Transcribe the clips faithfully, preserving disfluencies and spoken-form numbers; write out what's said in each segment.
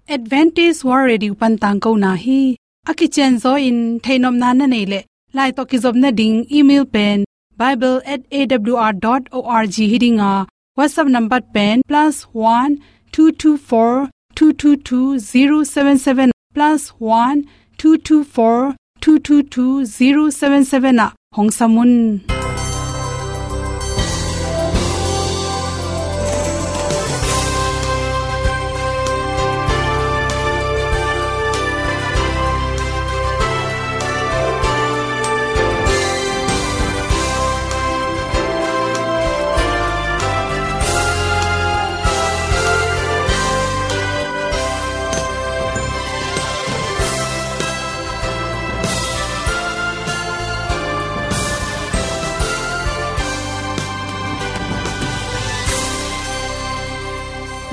Adventist World Radio pan tangkona hi. A kicianzaw in theihnopna na neih leh, lai tawh kizopna ding email pen bible at A W R dot org hi ding a, WhatsApp number pen plus one two two four two two two zero seven seven, plus one two two four two two two zero seven seven ah hong sam un.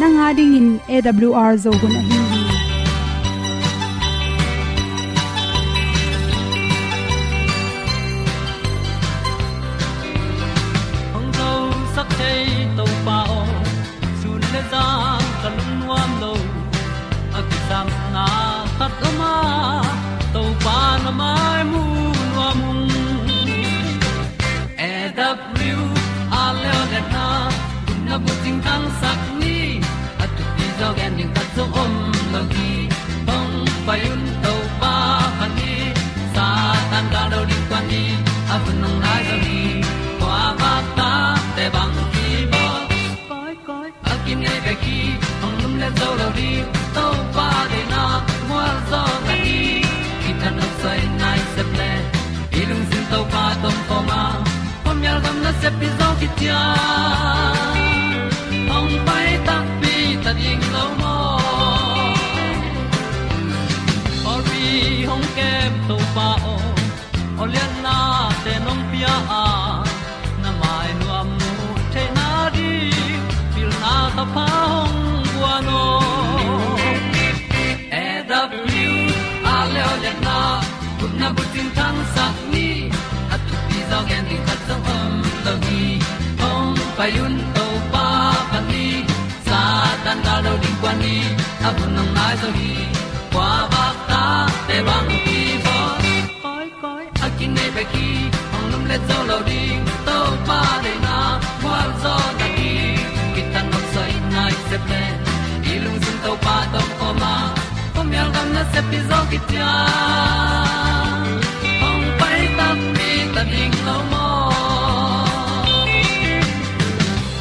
Nang a dingin A W R Zo hun ahi hi. Hong zosak thei Topa aw, sun le zan ka lungnuam lo. A kisapna khat om a, Topa na mai mu nuam ung. A W R leo le na, gupna bucing thangsak ni, a thupi zaw gen ding khat zong om lo hi. Hong pai un Topa phat ni, Satan gal do ding kuan ni, a hun hong nai zaw hi. Kua vak tate bang kibawl. Koi, koi, a kinei bek hi, hong lum le zo lo ding, Topa deihna mual zaw ta hi. Kithanuam soi nai sep le, i lungsim Topa tawh om khawm a, khuamial gam nasep hi zaw khit ciang, hong pai takpi ta ding lo maw? Pawlpi hong kem Topa aw, awliatnate nong pia a, na mai nuam muh theihna ding, pilna thapha hong guan aw. A W R leo le na, gupna bucing thangsak ni, a thupi zaw gen ding khat zong om lo hi. Hong pai un Topa phat ni, Satan gal do ding kuan ni, a hun hong nai zaw hi. Kua vak tate bang kibawl. Koi, koi, a kinei bek hi, hong lum le zo lo ding, Topa deihna mual zaw ta hi. Kithanuam soi nai sep le, i lungsim Topa tawh om khawm a, khuamial gam nasep hi zaw khit ciang, hong pai takpi ta ding lo maw?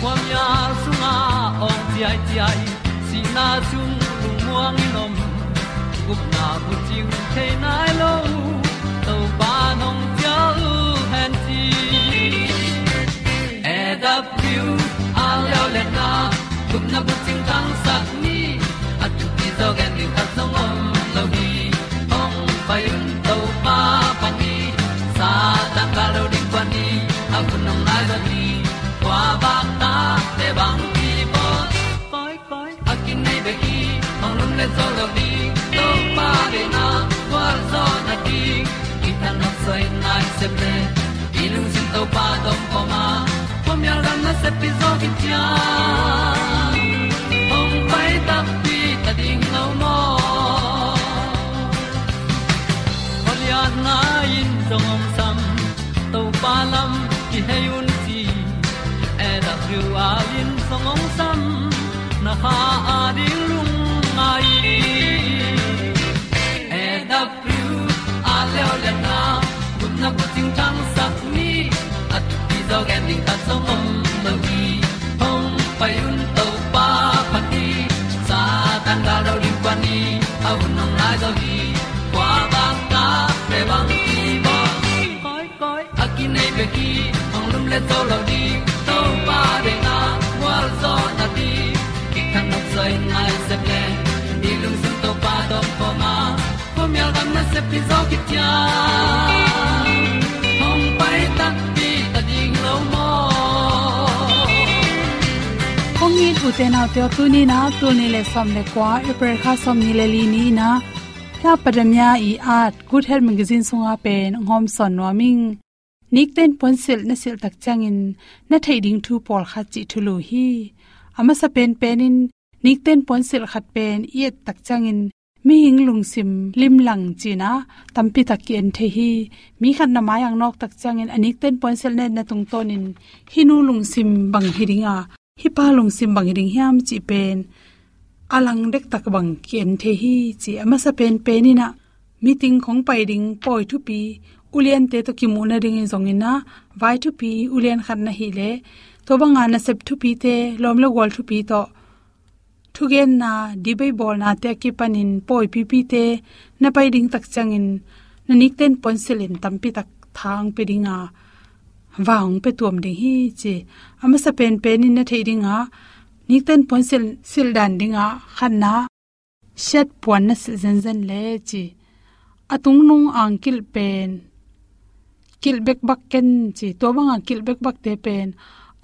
Khuamial sungah awng ciaiciai, sihna sung lungmuang in om, gupna bucing thei nai lo, Topa nong cial hen ci. A W R leo le na, gupna bucing thangsak ni, a thupi zaw gen ding khat zong om lo hi. Hong pai un Topa phat ni, Satan gal do ding kuan ni, a hun hong nai zaw hi. Kua vak tate bang kibawl. Koi, koi, a kinei bek hi, hong lum le zo lo ding, Topa deihna mual zaw na ding. Kithanuam soi nai sep le, i lungsim Topa tawh om khawm a, khuamial gam nasep hi zaw khit ciang, hong pai takpi ta ding lo maw? Awliatna in zong hong sam, Topa lam kihei un ci. A W R in zong hong sam, na kha a ding lungngai. A W R leo le na, gupna bucing thangsak ni, a thupi zaw gen ding khat zong om lo hi. Hong pai un Topa phat ni, Satan gal do ding kuan ni, a hun hong nai zaw hi. Kua vak tate bang kibawl. Koi, koi, a kinei bek hi, hong lum le zo lo ding, Topa deihna mual zaw na ding. Kithanuam soi nai sep le, i lungsim Topa tawh om khawm a, khuamial gam nasep hi zaw khit ciang, hong pai takpi ta ding lo maw? Kong it ute naute aw, tuni in ah, tul nih le sawm le kua, April kha sawmnih le li ni in ah, Hla Padamia i at Good Health Magazine sungah pen hong hawmsawn nuam ing. Nikten puansilh na silh tak ciangin na theih ding thu pawlkhat cih thulu hi. A masa penpen in, Nikten puansilh khat pen i et tak ciangin mihing lungsim limlang cihna tampi tak ki-en thei hi. Mi khat na mai-ah nawk tak ciangin a nikten puansilh na etna tungtawnin hih nu lungsim bang hi ding a, hih pa lungsim bang hi ding hiam cih pen a lang dektak bang ki-en thei hi ci. A masa penpen in ah meeting khong pai ding pawi thupi uliante tawh kimuh nadingin zongin ah vai thupi ulian khat na hih leh tua banga nasep thupite, lawm le gual thupi tawh thugenna, debate bawlnate a kipanin pawi pipite na pai ding tak ciangin na nikten puansilh in tampi tak tha hong pia ding a, va hong pia tuam ding hi ci. A masa penpen in na theih ding a, nikten puansilh silh dan ding a khatna, siat puan na silh zenzen le ci. A tungnung angkilh pen kilh bekbak ken ci. Tua banga kilh bekbakte pen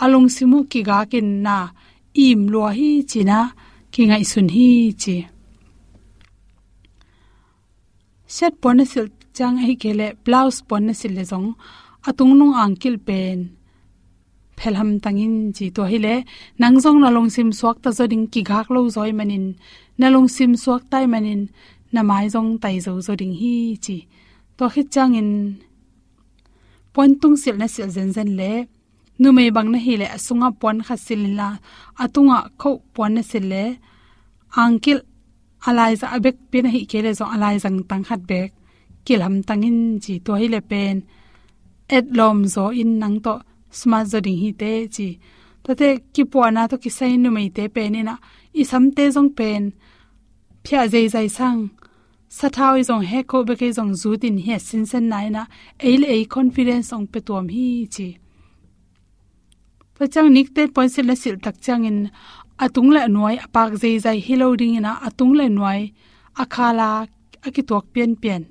a lungsim uh kigakin na im lua hi cihna kingaihsun hi ci. Siat puan na silh ciang ahih kei leh blouse puan na silh leh zong a tungnung angkilh pen phelhamtang in ci. Tua hileh nang zong na lungsim suakta zaw ding, kigak lo zaw ahih manin, na lungsim suakta ahih manin na mai zong taizo zaw ding hi ci. Tua khit ciangin puantung silh na silh zenzen le numei bang na hih leh a sungah puan khat silh inla, a tungah khoh puan na silh le angkilh a laizang, a bekpi na hih kei leh zong a laizang tang khat bek kilhamtang in ci. Tua hileh pen etlawm zaw in nang tawh smart zaw ding hi teh ci. Tuate kipuahna tawh kisai numeite pen in ah i samte zong pen phiah zeizai sang, sathau i zong hek khoh bek ei zong zut in hiat sinsenna in ah ei le ei confidence hong pia tuam hi ci. Tua ciang nikten puansilh na silh tak ciangin a tung le a nuai a pak zeizai hi lo dingin ah a tung le a nuai a khala a kituak pianpian,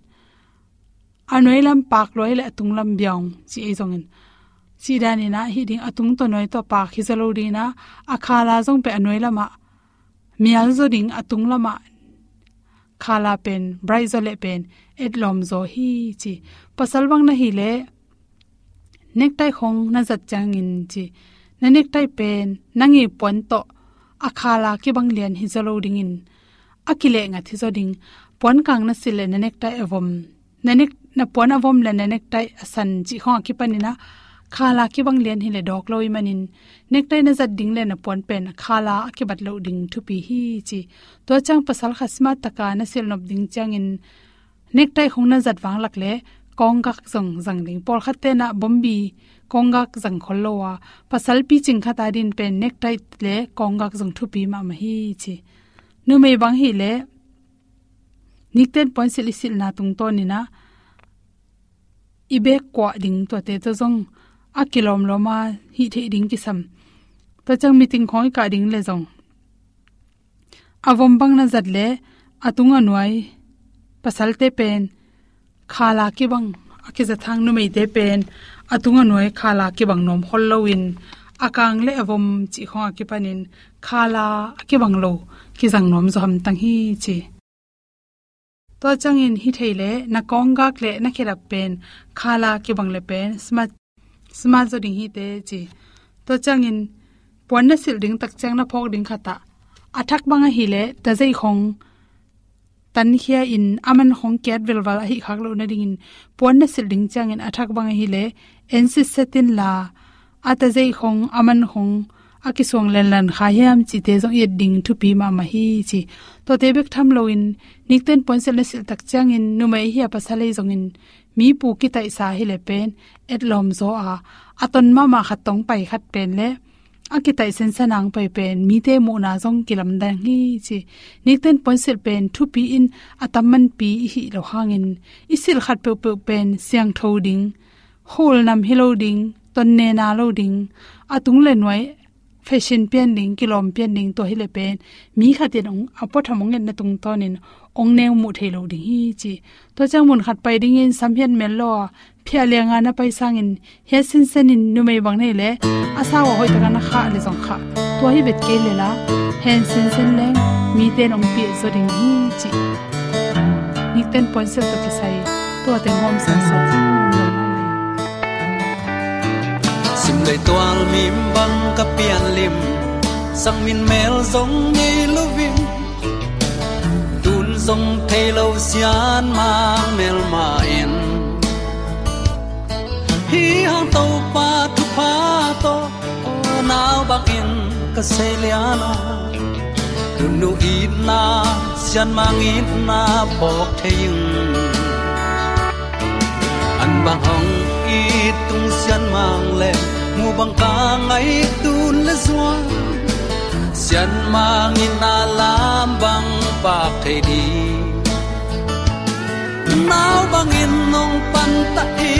a nuai lam pak lua le a tung lam biang ci ei zongin, cih danin ah hih ding, a tung tawh nuai tawh pak hi zaw lo dingin ah a khala zong pen a nuai lamah mial zaw ding, a tung lamah khala pen bright zaw leh pen etlawm zaw hi ci. Pasal bang na hih leh necktie khong na zat ciangin ci, na necktie pen nang i puan tawh a khala kibang lian hi zaw lo dingin a kilehngat hi zaw ding. Puan kang na silh leh na necktie a vom, na nek-, na puan a vom le na necktie a san cih khong a kipanin ah khala kibang lian hi leh dawk lo ahih manin necktie na zat ding le na puan pen khala a kibat loh ding thupi hi ci. Tua ciang pasal khat smart taka na silh nop ding ciangin necktie khong na zat vanglak le kawnggak zong zang ding. Pawlkhat ten ah bombi kawnggak zang khol lo a, pasal picing khat a din pen necktie le kawnggak zong thupi mahmah hi ci. Numei bang hih leh nikten puansilh i silhna tungtawnin ah i bek kuah ding tuate tawh zong a kilawmlawm a hih theih ding kisam. Tua ciang meeting khong i kah ding le zong a vom bang na zat le a tung a nuai, pasalte pen khala kibang a kizat hang, numeite pen a tung a nuai khala kibang nuam khol loin a kang le a vom cih khong a kipanin khala a kibang lo kizang nuam zaw hamtang hi ci. Tua ciangin hi thei leh na kawnggak le na khedap pen khala kibang le pen smart, smart zaw ding hi teh ci. Tua ciangin puan na silh ding tak ciang na phawk ding khat ah a thak bang ahih leh tazei khong tankhia in a man khong kiat velval ahih khak loh nadingin puan na silh ding ciangin a thak bang ahih leh en sitset inla, a tazei khong, a man khong a kisuang lenlan kha hiam cihte zong i et ding thupi mahmah hi ci. Tuate bek tham loin nikten puansilh na silh tak ciangin numei ahi a pasal ahi zongin mi pu kitaihsa hi leh pen etlawm zaw a, a ton mahmah khat tawh pai khat pen le a kitaih sensen a pai pen mite muhna zong kilamdang hi ci. Nikten puansilh pen thupi in a tam manpi i hih loh hangin i silh khat peuhpeuh pen siangtho ding, khul nam hi lo ding, tonnena lo ding, a tung le nuai fashion pian ding, kilawm pian ding, tua hi leh pen mi khat in hong, a puatham hong etna tungtawnin hong neu muh thei lo ding hi ci. Tua ciang mun khat pai dingin sam hiat mel lo a, phiah lianga na pai sangin hiat sinsenin numei bang nei leh a sau a hoih taka na khah leh zong khah, tua hi vet kei leh la hen sinsen leng mite in hong piah zaw ding hi ci. Nikten puansilh tawh kisai tuate hong hawmsa sawt. Sim lei tual mim bang ka pian lim, Sang min mel zong nei lo in, tun zong thei lo sianmang melma in. Hi hang Topa thupha tawh, aw nau bangin ka sei lian a. Nunu itna, sianmang itna phawk thei ing. An bang hong it tung sianmang le, mu bang ka ngaih tun le zuan. Sianmang itna lam bang pak thei ding. Nau bangin nong panta i,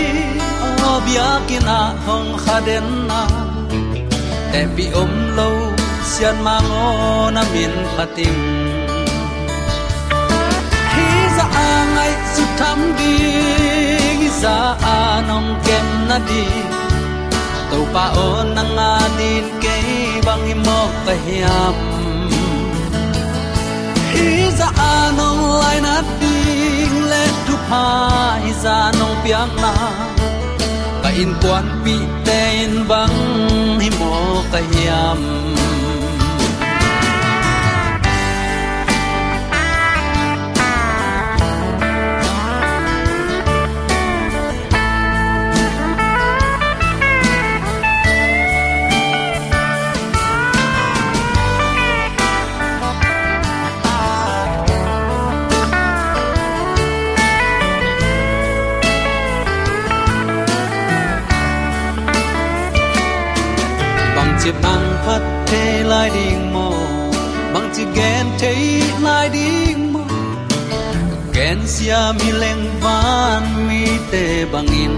aw biakinn ah hong kha den a. Tepih om lo sianmang aw na min phat ing. Hi zah a ngaihsut tham ding, hi zah a nong kem nading. Topa aw nang adin kei bang hi mawk ka hiam. Hi zah a nong lainat ding le thupha, hi zah nong piakna ka innkuanpihte in bang hi mawk ka hiam. Bangci pang phat thei lai ding maw? Bangci gen thei lai ding maw? Gensia mi leng van mite bangin,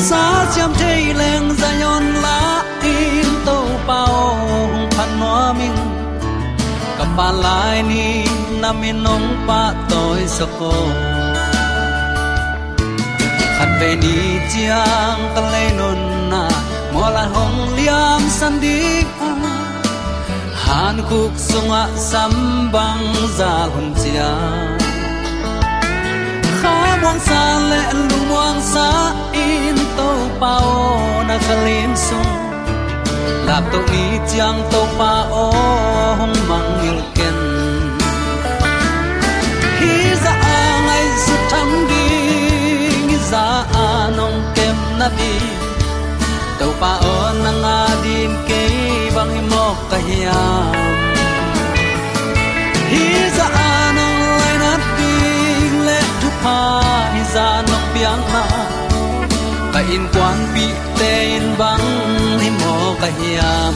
sa siam thei leng Zion la in Topa aw hong phat nuam ing. Ka pha lai ni na min hong pahtawi sak aw. Khatvei ni ciang ka lei nunna, mual lai hong liamsan ding a, hankhuk sungah sam bang zal hun ciang, khamuangsa le lungmuangsa in Topa aw na khalim sung, laptoh ni ciang Topa aw hong mangngilh ken. Hi zah a ngaihsut tham ding, hi zah a nong kem nading. Topa aw nang adin kei bang hi mawk ka hiam. Hi zah a nong lainat ding le thupha, hi zah nong piakna ka innkuanpihte in bang hi mawk ka hiam.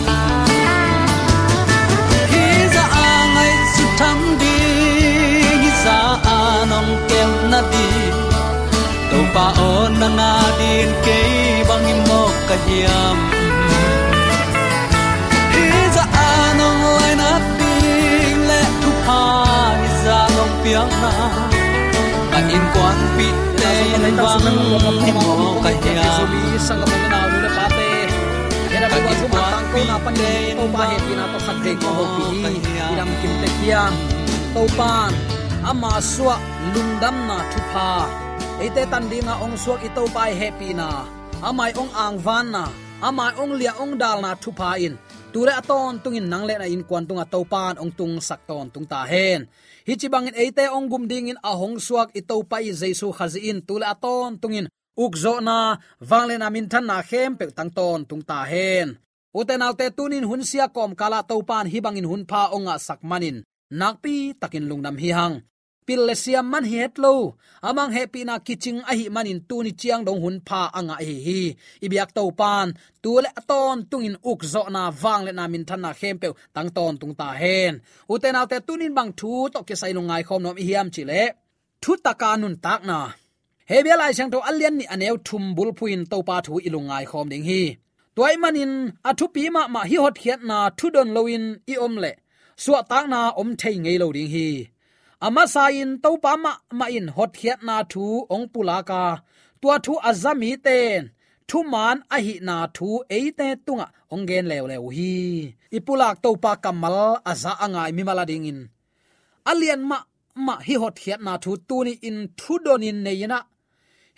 Hi zah a ngaihsut tham ding, hi zah a nong kem nading. Topa aw nang adin kei bang hi mawk ka hiam. Hi zah a nong lainat ding le thupha, hi zah nong piakna ka innkuanpihte in bang hi mawk ka hiam. Ka innkuanpihte in bang hi mawk ka hiam. Topa'n ama suah lungdamna thupha eite tan dinga hong suak i Topa i hehpihna, ama i hong angvanna, ama i hong liah hong dalna thupha in tu le a tawntungin nang le na innkuan tungah Topa'n hong tungsak tawntung ta hen. Hih ci bangin eite hong gum dingin a hong suak i Topa i Jesu Khazih in tu le a tawntungin ukzawhna, vangliatna, minthanna khempeuh tang tawntung ta hen. Ute naute, tunin hun sia kawmkalah Topa'n hih bangin hun pha hong ngahsak manin nakpi takin lungdam hi hang. Pil le siam man hi het lo, amah hehpihna kicing ahih manin tuni ciang dong hun pha a ngah ahi hi. I biak Topa'n tu le a tawntungin ukzawhna, vangliatna, minthanna khempeuh tang tawntung ta hen. Ute naute, tunin bang thu tawh kisai lungngai khawm nuam i hiam cih leh, thutaka nuntakna. Hebru Lai Siangtho a lian nih a neu thum bulphuh in Topa thu i lungngai khawm ding hi. Tua ahih manin a thupi mahmah hih hotkhiatna thu don loin i om leh suahtakna om thei ngei lo ding hi. A masa-in Topa mahmah in hotkhiatna thu hong pulak a, tua thu a za mite in thuman ahihna thu eite tungah hong gen leuleu uh hi. I pulak Topa kammal a za a ngai mimal adingin a lian mahmah hih hotkhiatna thu tuni-in thu donin nei-in ah,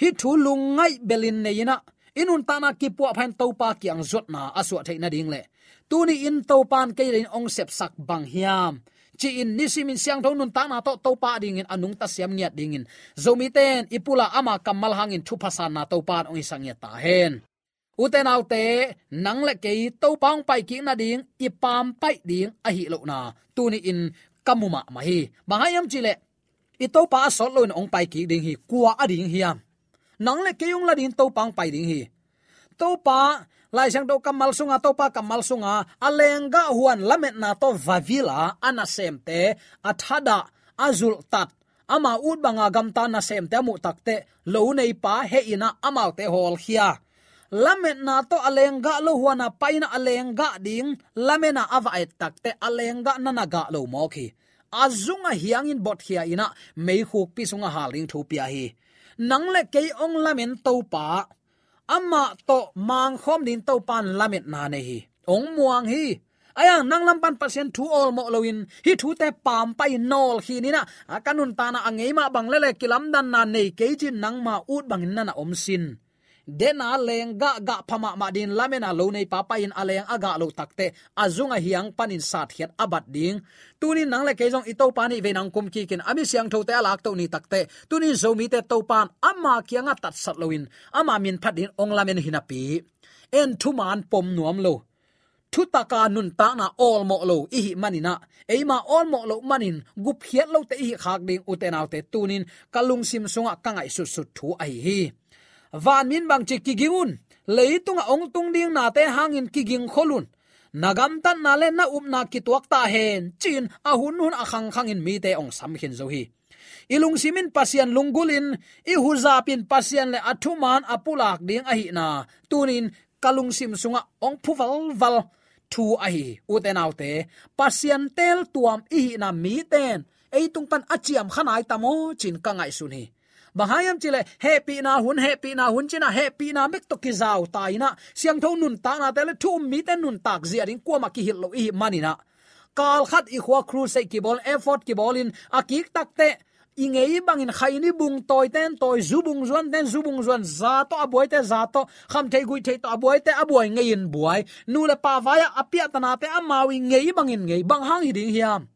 hih thu lungngaih belin nei-in ah, i nuntakna kipuahpha in Topa kiang zuatna a suah theih nading le Tuni-in Topa in kei le in ong sepsak bang hiam ci-in nisimin siangtho nuntakna tawh Topa dingin a nungta siam ngiat dingin Zomite in i pulak ama kammal hangin thupha sanna Topa in ong hisak ngiat ta hen. Ute naute, nang le kei Topa ong paikik nading i pampaih ding ahi lohna tuni-in ka mu mahmah hi. Bang hang hiam cih leh i Topa a sawt loin ong paikik ding hi. Kua a ding hiam? Nang le kei ong la ding, Topa ong pai ding hi. Topa, Lai Siangtho kammal sunga, Topa kammal sunga a lenggah huan lametna tawh va vil a, a nasemte a thadah, a zulhtat, ama ut banga gamta nasemte a muh takteh lo neipa heh in ah amaute hawlkhia. Lametna tawh a lenggah lo huan a pai in ah a lenggah ding lamen a a va et takteh a lenggah na na gah lo mawk hi. A zung a hiangin botkhia in ah meikhukpi sungah hal ding thu pia hi. Nang le kei ong lamen Topa, amah tawh mangkhawm ding Topa in lametna nei hi. Ong muang hi. Ahi hang nang lam pan Pasian thu awlmawh loin hih thute pampaih in nawlkhin in ah, a ka nuntakna a ngei mah bang leh leh kilamdanna nei kei cin nangma ut bangin na na om sin. Dena lenggah gah pha mahmah dingin lamen a lo neipa pai in a leng a gah loh takteh a zung a hiang panin satkhiat a bat ding. Tunin nang le kei zong i Topa nih vei nang kum kikin a mi siangthote a laktoh ni takteh, tunin Zomite Topa in ama kiangah tatsat loin ama min phat dingin ong lamen hi napi, en thuman pom nuam lo, thutaka nuntakna awlmawh lo i hih manin ah, eima awlmawh loh manin gupkhiat lote i hih khak ding, ute naute, tunin ka lungsim sungah ka ngaihsutsut thu ahi hi. Vanmi in bangci, kiging un, leitunga ong tung ding nate hangin kigingkhol un, na gamtatna le na upna kituak ta hen, ci-in a hunhun a khangkhangin mite ong samkhin zo hi. I lungsim in Pasian lunggulhin, i huzap in Pasian le a thuman a pulak ding ahihna tunin ka lungsim sungah ong phu valval thu ahi hi. Ute naute, Pasian teeltuam i hihna mite in ei tung pan a ciamkha nai ta maw ci-in ka ngaihsun hi. Bang hang hiam cih leh hehpihna hun, hehpihna hun ci-in ah hehpihna bek tawh kizau ta in ah, siangtho nuntaknate le thu um mite nuntak zia ding kuamah kihilh lo i hih manin ah, kal khat i khua crusade kibawl, effort kibawlin a kik takteh i ngei bangin khaini bung tawite in tawi, zu bung zuante in zu bung zuan, za tawh a buaite za tawh, khamtheih guihtheih tawh a buaite a buai ngei-in buai, nu le pa vai-ah a piahtanate amau i ngei bangin ngei. Bang hang hi ding hiam?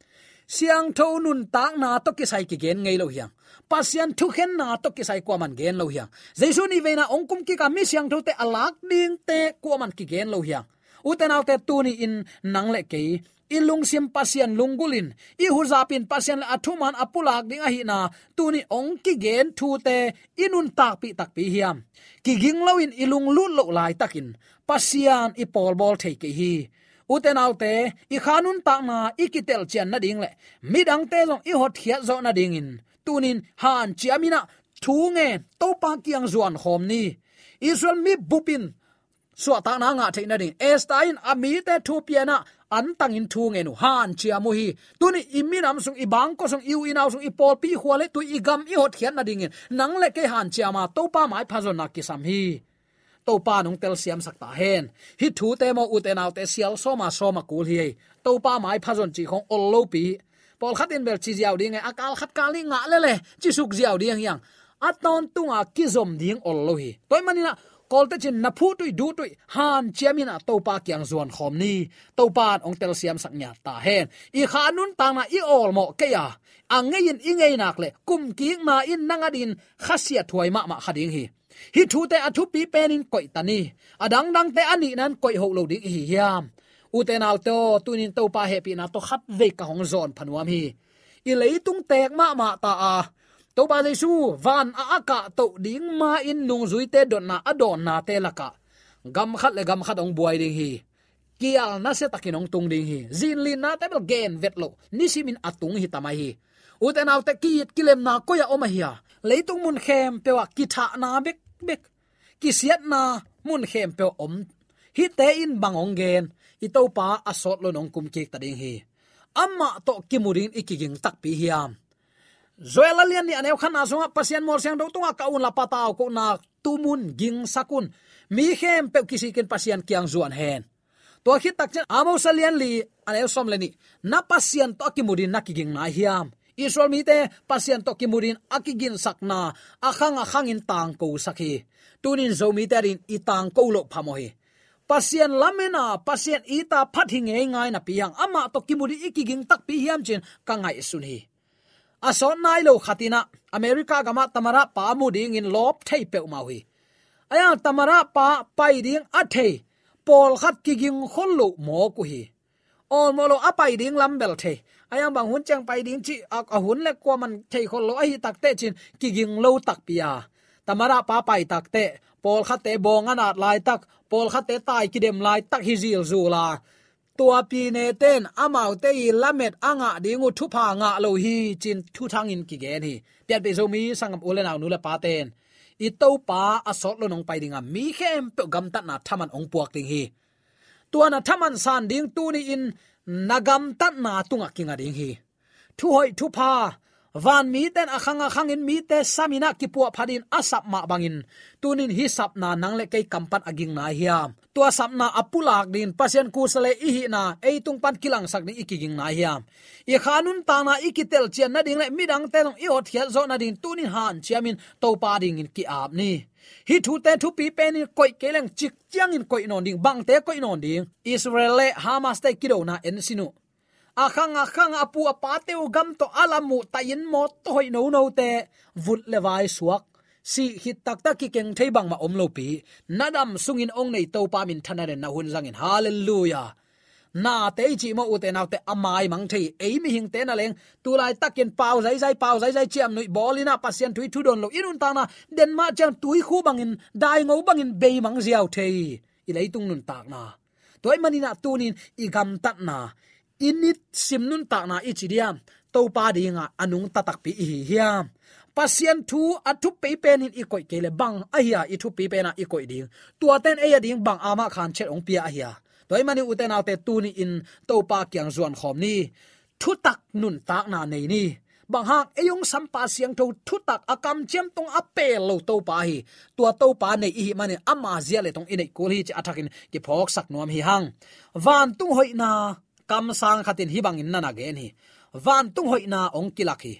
Siangtho nuntakna tawh kisai kigen ngei lo hi hang. Pasian thukhenna tawh kisai kuaman gen lo hi hang. Jesu nih veina ong kum kik a mi siangthote a lak dingte kuaman kigen lo hi hang. Ute naute, tuni-in nang le kei i lungsim Pasian lunggulhin, i huzap in Pasian le a thuman a pulak ding ahihna tuni ong kigen thute i nuntakpih takpi hiam? Kiging loin i lunglut loh laitakin Pasian i pawlbawl thei kei hi. Ute naute, i kha nuntakna i kitelcian nading le midangte zong i hotkhiat zawh nadingin tunin hanciam in ah thu ngen, Topa kiang zuan khawm ni. Israel mi bup in suahtakna ngah theih nading Esther in a mite thu pia in ah antangin thu ngen uh, hanciam uh hi. Tuni i minam sung, i bangkua sung, i u i nau sung, i pawlpi, i khua le tui, i gam i hotkhiat nadingin nang le kei hanciam a Topa maipha zonna kisam hi. Topa in ong telsiamsak ta hen. Hih thute maw, ute naute, sial sawma sawma kul hi ei. Topa maipha zon cih khong ol lopi. Pawlkhat in bel ci ziau ding ei, a kal khat kal nih ngah lele ci suk ziau ding hi hang. A tawntunga kizom ding ol lo hi. Tua ahih manin ah Kawlte cin na phuhtuih duhtuih hanciam in ah Topa kiang zuan khawm ni. Topa in ong telsiamsak ngiat ta hen. I kha nuntakna i awlmawh kei a, a ngei in i ngei nak le kumkikna in nang adingin khasiathuai mahmah kha ding hi. Hih thute a thupi penin koih ta ni. A dangdangte a nihna in koih hoh lo ding i hi hiam? Ute naute aw, tunin Topa hehpihna tawh khatvei ka hong zawn pha nuam hi. I leitung teek mahmah ta a, Topa Jesu van a a kahtoh ding ma-in nungzuite dotna a dawnnate lakah gam khat le gam khat hong buai ding hi. Kial nasia takin hong tung ding hi. Zinlinnate bel gen vet loh nisimin a tung hi ta mai hi. Ute naute, ki-it kilemna koi-ah om ahi a? Leitung mun khempeuh ah kithahna bekbek, kisiatna mun khempeuh ah om. Hihte in bang hong gen? I Topa a sawt loin hong kum kik ta ding hi. Amah tawh kimu dingin i kiging takpi hiam? Joel a lian nih a neu khatna sungah Pasian mual siangtho tungah ka un la patau kohna tum un, gingsak un. Mi khempeuh kisikin Pasian kiang zuan hen. Tua khit takciang Amos a lian li a neu sawm le nih, na Pasian tawh a kimu dingin na kiging nai hiam? Israel mite Pasian tawh kimu dingin a kiginsakna a khang a khangin tangkosak hi. Tunin Zomite adingin i tangko loh phamawh hi. Pasian lamen a, Pasian it a phat hi ngeingai napi hang, amah tawh kimu ding i kiging takpi hiam ci-in ka ngaihsun hi. A sawt nai lo khat in ah America gamah Tamara pa mu dingin lawp thei peuhmah uh hi. Ahi hang Tamara pa pai ding a thei pawlkhat kiging khol lo mawk uh hi. Awlmawh lo a pai ding lam bel thei. Ahi hang bang hun ciang pai ding cih a, a hun le kuaman thei khol lo ahi takteh ci-in kiging lo takpi a, Tamara pa pai takteh pawlkhatte bawng a nat laitak, pawlkhatte tai kidem laitak hi zilzul a, tua pi neten amaute i lamet a ngah ding uh thupha ngah lo hi ci-in thuthangin kigen hi. Pianpih Zomi sanggam u le nau, nu le paten, i Topa a sawt lo nong pai ding a, mi khempeuh gamtatna thaman hong puak ding hi. Tua na thaman san ding tuni-in na gamtatna tungah kinga ding hi. Thuhoih thupha, van miten a khang a khangin mite samin ah kipuahphat in a sap mah bangin, tunin hih sapna nang le kei kam pan a ging nai hiam? Tua sapna a pulak dingin Pasian kusa le i hihna ei tung pan kilangsak ding i kiging nai hiam? I kha nuntakna i kitelcian nading le midangte zong i hotkhiat zawh nading tunin hanciamin Topa dingin ki-ap ni. Hih thute thupi penin koih kei leng cik ciangin koih nawn ding, bangte koih nawn ding? Israel le Hamas te kidona en sin uh. A khang a khang a pu a pate uh gam tawh a lam uh, tai-in mawtaw hoih nonote vut le vai suak, sih khit taktak kikeng thei bangmah om lopi, na dam sungin hong nei Topa minthanna den na hun zangin. Halleluiah. Nate i cih maw, ute naute, a maimang thei. Ei mihingte na leng tu laitakin pau zaizai, pau zaizai, ciamnuih bawl in ah Pasian thu i thudawn lo i nuntakna, den mah ciang tuikhu bangin, daingo bangin beimang ziau thei i leitung nuntakna. Tua ahih manin ah tunin i gamtatna, i nisim nuntakna i ci diam, Topa dingah a nungta takpi i hi hiam? Pasian thu a thupi penin i koih kei le bang ahi a i thupi pen a i koih ding? Tuate in ei a ding bang a mah khan chet hong pia ahi a? Tua ahih manin ute naute, tuni-in Topa kiang zuan khawm ni. Thutak nuntakna nei ni. Bang hang? Ei hong sampa siangtho thutak, a kamciam tung a pel lo Topa hi. Tua Topa nei i hih manin ama zia le tong i neih kul hi ci-a a thakin kiphawksak nuam hi hang. Vantung hoihna, kamsang khat in hih bangin na na gen hi. Vantung hoihna hong kilak hi.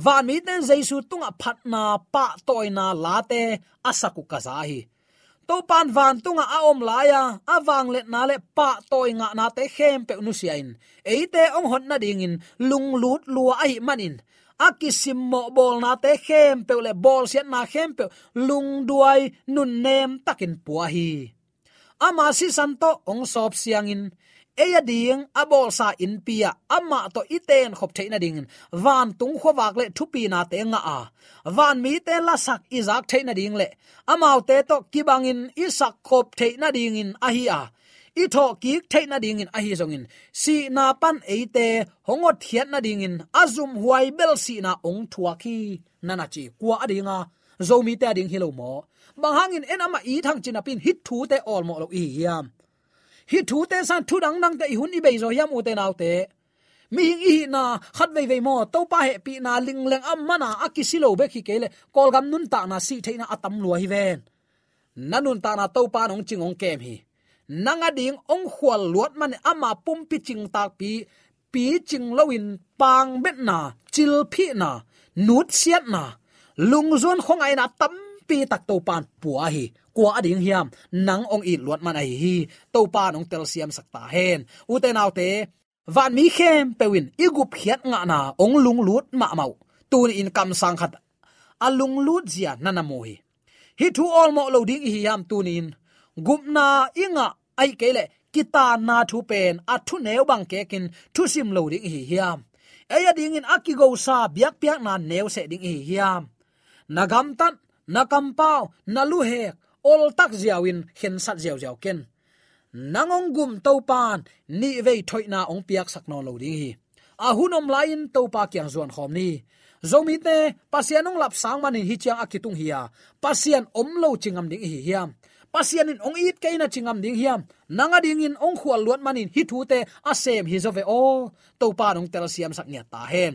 Vanmite in Jesu tungah phatna, pahtawina late a sak uh ka za hi. Topa in vantungah a om lai-a a vangliatna le pahtawi ngahnate khempeuh nusia-in, eite hong hot nadingin lunglut lua ahih manin, a kisimmawh bawlnate khempeuh le bawlsiatna khempeuh lungduai nunnem takin pua hi. Ama sisan tawh hong sawp siangin, ei a ding a bawlsa innpi-ah amah tawh i tenkhop theih nadingin vantung khuavak le thupinate ngah a, vanmite lasak i zak theih nading le amaute tawh kibangin i sakkhop theih nadingin ahi a, i thawhkik theih nadingin ahi zongin, sihna pan eite hong hotkhiat nadingin a zumhuai bel sihna hong thuak hi, na na ci. Kua a dinga? Zomite a ding hi lo maw? Bang hangin en amah i thangcin napi-in hih thute awlmawh lo i hi hiam? Hih thute sang thu dangdangte i hun i bei zaw hiam, ute naute? Mihing i hihna khat veivei maw, Topa hehpihna lingleng a mana a kisi lo bek hi kei leh Kawlgam nuntakna sih theihna a tam lua hi ven. Na nuntakna Topa in hong cing hong kem hi. Nang a ding hong khual luat manin ama pumpi cingtakpi, picing loin pangbetna, cilphihna, nutsiatna, lungzuan khuangaihna tampi tak Topa in pua hi. Kua a ding hiam? Nang hong it luat man ahi hi. Topa in hong telsiamsak ta hen. Ute naute, vanmi khempeuh in i gupkhiat ngahna hong lunglut mahmah uh. Tuni-in kamsang khat a lunglut zia na na mu hi. Hih thu awlmawh lo ding i hi hiam tuni-in? Gupna i ngah ahih kei leh kitaanna thu pen a thuneu bang kekin thusim lo ding i hi hiam? Ei a dingin a kigosa biakpiakna neuseh ding i hi hiam? Na gamtat, na kampau, na luhek oltak ziau-in khensat ziauziau ken. Nang hong gum Topa in nihvei thoihna hong piaksak nawn lo ding hi. A hun om lai-in Topa kiang zuan khawm ni. Zomite, Pasian hong lapsang manin hih ciang a kitung hi a, Pasian om lo ci ngam ding i hi hiam? Pasian in hong it kei na ci ngam ding hiam? Nang a dingin hong khual luat manin hih thute a sem hi zaw ve aw. Topa in hong telsiamsak ngiat ta hen.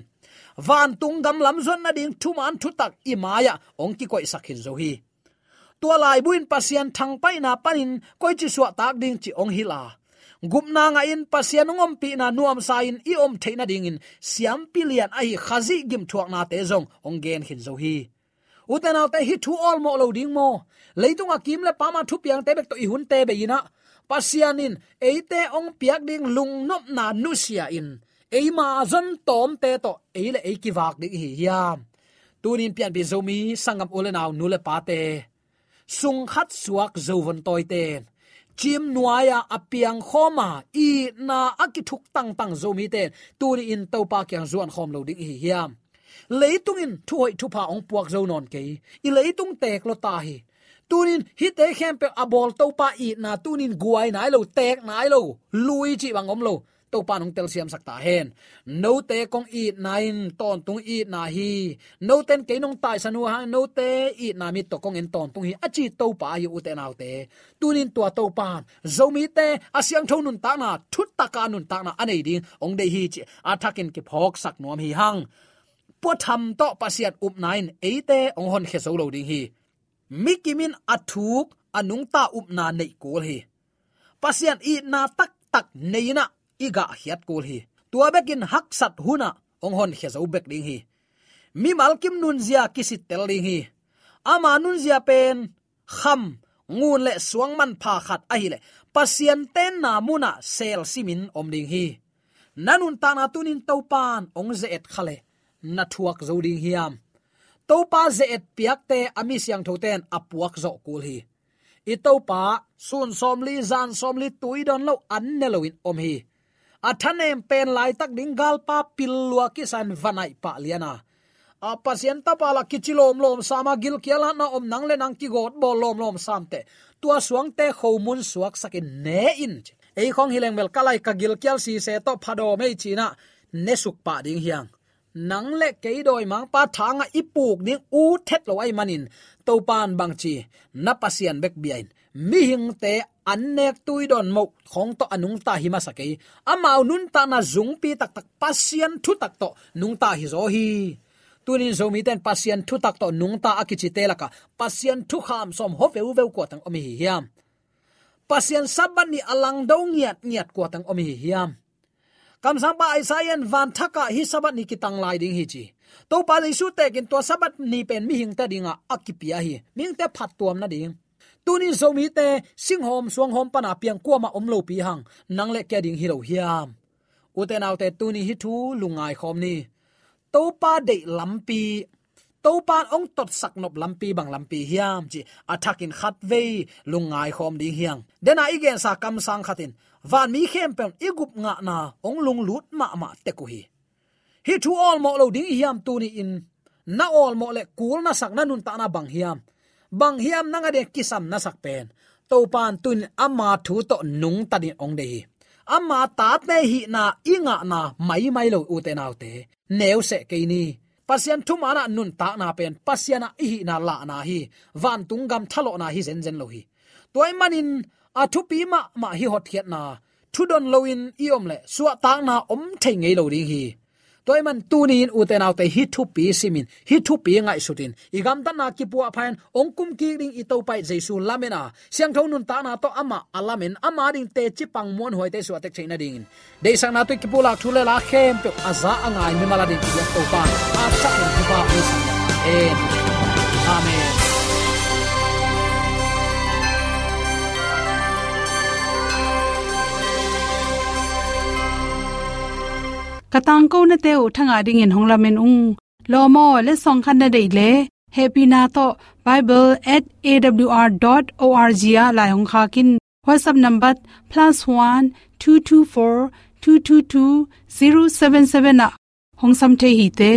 Vantung gam lam zuat nading thuman thutak i mai-ah hong kikoihsak khin zo hi. Tua laibu in Pasian thangpaihna panin koici suahtak ding cih hong hilh a, gupna ngahin Pasian hong ompihna nuamsa-in i om theih nadingin siampi lian ahi Khazih gimthuaknate zong hong gen khin zo hi. Ute naute, hih thu awlmawh lo ding maw? Leitung a kim le pam a thupiangte bek tawh i hunte bei-in ah, Pasian in eite hong piak ding lungnopna nusia in eima zon tawmte tawh ei le ei kivak ding i hi hiam? Tunin pianpih Zomi sanggam u le nau, nu le pate, sungkhat suak zovon tawite, cim nuai-a a piangkhawm a itna a kithuk tangtang Zomite tuni-in Topa kiang zuan khawm lo ding i hi hiam? Leitung in thuhoih thupha hong puak zo nawn kei. I leitung teek lua ta hi. Tunin hihte khempeuh a bawl Topa itna tunin guai nai lo, teek nai lo, lui cih bang om lo. Topa in hong telsiamsak ta hen. Note kong itna in tawntung itna hi. Note in kei nong taisan uh hang note itna mit tawh kong en tawntung hi, a ci Topa hi, ute naute. Tunin tua Topa in Zomite a siangtho nuntakna, thutaka nuntakna a nei ding hong deih hi cih a thakin kiphawksak nuam hi hang. Puatham tawh Pasian upna in eite hong honkhia zo lo ding hi. Mi kim in a thuk a nungta upna neih kul hi. Pasian itna taktak nei-in ah i gahkhiat kul hi. Tua bekin haksat hun ah hong honkhia zo bek ding hi. Mimal kim nunzia kisittel ding hi. Ama nunzia pen kham, ngun le suang manpha khat ahih leh Pasian tenna mun ah sel simin om ding hi. Na nuntakna tunin Topa in hong ze-et kha leh na thuak zo ding hiam? Topa ze-et piakte a mi siangthote in a puak zawh kul hi. I Topa sun sawmli zan sawmli tui dawn lo an ne loin om hi. A thanem pen laitak ding galpa pil lua kisa in va naih pah lian a, a Pasian Tapa lah kici lawmlawm sam a, gilkial hatna om nang le nang kigawt bawl lawmlawm sam teh, tua suangte khomun suaksakin ne in ci. Ei khawng hi leng bel ka lai ka gilkial sise tawh phadawm ei ci-in ah ne suk pah ding hi hang. Nang le kei dawimangpa thangah i puk ding ut het lo ahih manin Topa in bang ci, na Pasian bek bia in, mihingte an nek tui dawn moh khawng tawh a nungta hi masa kei. Amau nuntakna zungpi taktak Pasian thutak tawh nungta hi zaw hi. Tunin Zomite in Pasian thutak tawh nungta a kicite lakah Pasian thukham sawm hua veuveu kua teng om i hi hiam? Pasian Sabbath ni a langdo ngiatngiat kua teng om i hi hiam? Kamsangpa Isaiah in van thakah hih Sabbath ni kitang lai ding hi ci. Topa Jesu tekin tua Sabbath ni pen mihingte dingah a kipia hi. Mihingte phattuam nading. Tunin Zomite singhawm suanghawm pana piang kuamah om lopi hang nang le kei a ding hi lo hiam? Ute naute, tuni hih thu lungngai khawm ni. Topa deih lampi, Topa in hong totsak nop lampi bang lampi hiam cih a thakin khatvei lungngai khawm ding hi hang. Dena i gensa kamsang khat in vanmi khempeuh in i gup ngahna hong lunglut mahmah tek uh hi. Hih thu awlmawh lo ding i hiam? Tuni-in na awlmawh le kul na sak na nuntakna bang hiam? Bang hiam nang a ding kisam na sak pen? Topa in tunin ama thu tawh nungta dingin hong deih hi. Ama tate hihna i ngahna maimai lo, ute naute. Neu seh kei ni. Pasian thumanah nuntakna pen Pasian ah i hihna lahna hi. Vantung gam thalawhna hi zenzen lo hi. Tua ahih manin a thupi mahmah hih hotkhiatna thudon loin i om leh suahtakna om thei ngei lo ding hi. Tua ahih man tuni-in ute naute, hih thupi simin, hih thupi ngaihsutin, i gamtatna kipuahpha-in hong kumkik ding i Topa i Jesu lamen a, siangtho nuntakna tawh amah a lamen, ama ding teci pang muanhuaite suah tek theih nadingin, deihsakna tawh i kipulak thu le la khempeuh a za a ngai mimal a ding i biak Topa in a thak in thupha hong sang hen. Amen. Ka tangkonate uh thangah dingin hong lamen ung. Lawm aw, letsong khat na deih leh hehpihna tawh bible at A W R dot O R G ah lai hong khak in. WhatsApp number plus one two two four two two two zero seven seven ah hong sam thei hi te.